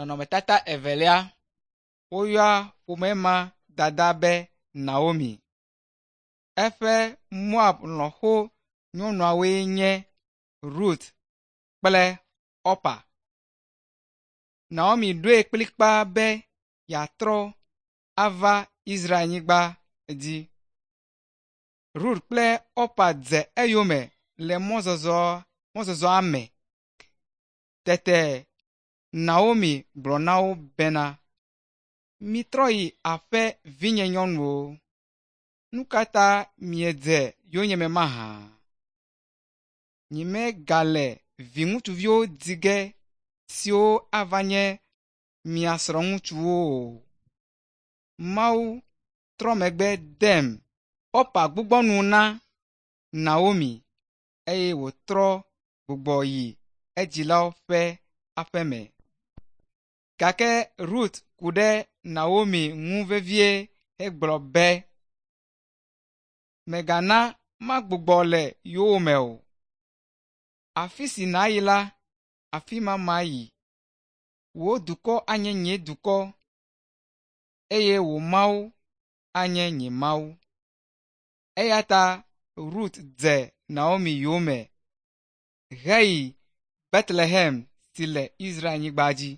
Nɔnɔmetata evelia, woyɔa ƒome ma dada be Naomi. Eƒe Moab lɔ̃xo nyɔnuawoe nye Rut kple Orpa. Naomi ɖoe kplikpaa be yeatrɔ ava Israelnyigba dzi. Rut kple Orpa dze eyome le mɔzɔzɔa me. Tete Naomi gblɔ na wo bena, “Mitrɔ yi aƒe vinye nyɔnuwo. Nu ka ta miedze yonyeme mahã? Nyemegale viŋutsuviwo di ge siwo ava nye mia srɔ̃ŋutsuwo o. Mawu trɔ megbe dem.” Orpa gbugbɔ nu na Naomi eye wòtrɔ gbugbɔ yi edzilawo ƒe aƒe me. Gake Rut ku ɖe Naomi ŋu vevie hegblɔ be, “Mègana magbugbɔ le yowòme o. Afi si nàyi la, afi ma mayi. Wò dukɔ anye nye dukɔ eye wò Mawu anye nye Mawu.” Eya ta Rut dze Naomi yome heyi Betlehem si le Israelnyigba dzi.